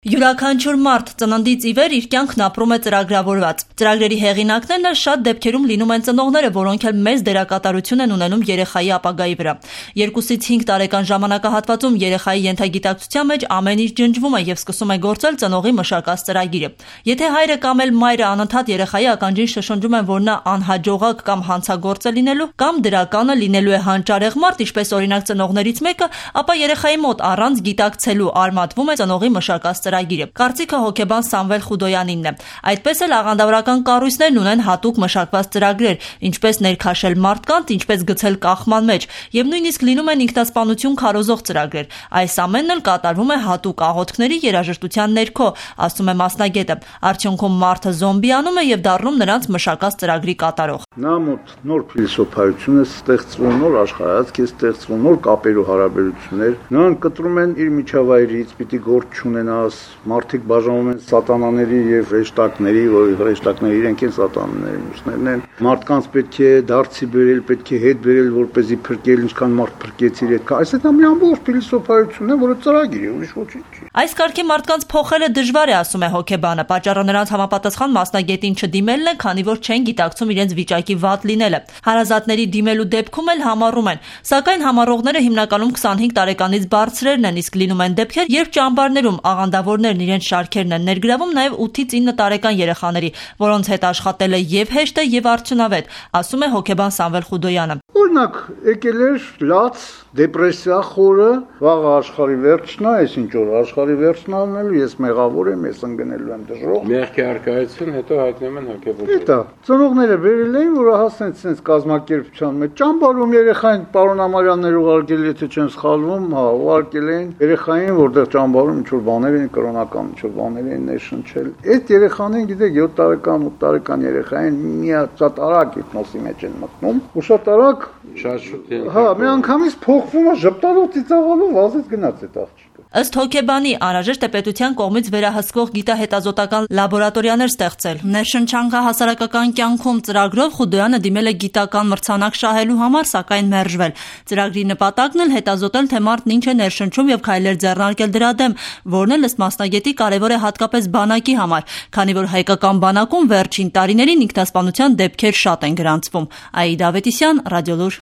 Յուրաքանչյուր մարդ ծննդից ի վեր իր կյանքն ապրում է ծրագրավորված։ Ծրագրերի հեղինակներն էլ շատ դեպքերում լինում են ծնողները, որոնք էլ մեծ դերակատարություն են ունենում երեխայի ապագայի վրա։ 2-ից 5 տարեկան ժամանակահատվածում երեխայի ենթագիտակցության մեջ ամեն ինչ ջնջվում է եւ սկսում է գործել ծնողի մշակած ծրագիրը։ Եթե հայրը կամ էլ մայրը անընդհատ երեխայի ականջին շշնջում են, որ նա անհաջողակ կամ հանցագործ է լինելու, կամ դրականը լինելու է հանճարեղ մարդ, ինչպես օրինակ ծնողներից մեկը, ապա երեխայի մոտ առանց գիտակցելու արմատվում է ծնողի մշակած ծրագիրը։ Կարծիքը հոգեբան Սամվել Խուդոյանինն է։ Այդպես էլ աղանդավորական կառույցներն ունեն հատուկ մշակված ծրագրեր, ինչպես ներքաշել մարդկանց, ինչպես գցել կախման մեջ, եւ նույնիսկ լինում են ինքնասպանություն քարոզող ծրագրեր։ Այս ամենն էլ կատարվում է հատուկ աղոթքների երաժշտության ներքո, ասում է մասնագետը։ Արդյունքում մարդը զոմբիանում է եւ դառնում նրանց մշակած ծրագրի կատարող։ Նա մոտ նոր փիլիսոփայություն է ստեղծվում, նոր աշխարհայացք է ստեղծվում, նոր կապեր ու հարաբերություններ։ Նրանք կտրում են իր միջավայրից, պիտի գործ չունենաս, մարդիկ բաժանվում են սատանաների եւ հրեշտակների, որ հրեշտակները իրենք են սատանաները, մյուսներն են։ Մարդկանց պետք է դարձի բերել, պետք է հետ բերել, որպեսզի փրկել, ինչքան մարդ փրկեցիր այդ։ Այսինքն մի ամբողջ փիլիսոփայություն է, որը ծրագիր է, ուրիշ ոչինչ չի։ Այս կարգի մարդկանց փոխելը դժվար է, ասում է հոգեբանը։ Պատճառը նրանց համապատասխան մասնագետին չդիմելն է, քանի որ չեն գիտակցում իրենց վիճակի վատ լինելը։ Հարազատների դիմելու դեպքում էլ համառում են, սակայն համառողները հիմնականում 25 տարեկանից բարձրերն են, իսկ լինում են դեպքեր, երբ ճամբարներում աղանդավորներն իրենց շարքերն են ներգրավում նաև 8-ից 9 տարեկան երեխաների, որոնց հետ աշխատելը եւ հեշտ է եւ արդյունավետ, ասում է հոգեբան Սամվել Խուդոյանը։ Օրինակ, եկել էր լաց, դեպրեսիա խորը, վաղ աշխարհի վերջն է, այսինչ որ աշխարհի վերջն անելու, ես մեղավոր եմ, ես ընկնելու եմ դժոխք։ Մեղքի արկայություն, հետո հայտնում են հոգեբան։ Դա ծնողները վերել էին, որ հասնեն sense կազմակերպության մեջ ճամբարում երեխային պարոն Ամարյաններ ուղարկել, եթե չեմ սխալվում, ուղարկել էին երեխային, որտեղ ճամբարում ինչ-որ բաներ են կրոնական, ինչ-որ բաներ են ներշնչել։ Այդ երեխաներին, գիտեք, 7 տարեկան, 8 տարեկան երեխային մի հատ շատ արագ հիպնոսի մեջ են մտնում, ու շատ արագ մի անգամից փոխվում է ժպտալով ծիծաղալով վազից գնաց այդ աղջիկը։ Ըստ հոգեբանի անհրաժեշտ է պետության կողմից վերահսկվող գիտահետազոտական լաբորատորիաներ ստեղծել։ Ներշնչանքա հասարակական կյանքում ծրագրով Խուդոյանը դիմել է գիտական մրցանակ շահելու համար, սակայն մերժվել։ Ծրագրի նպատակն էլ հետազոտել, թե մարդն ինչ է ներշնչում եւ քայլեր ձեռնարկել դրա դեմ, որն էլ ըստ մասնագետի կարեւոր է հատկապես բանակի համար, քանի որ հայկական բանակում վերջին տարիներին ինքնասպանության դեպքեր շատ են գրանցվում։ Աիդա Ավետիսյան, Ռադիոլուր։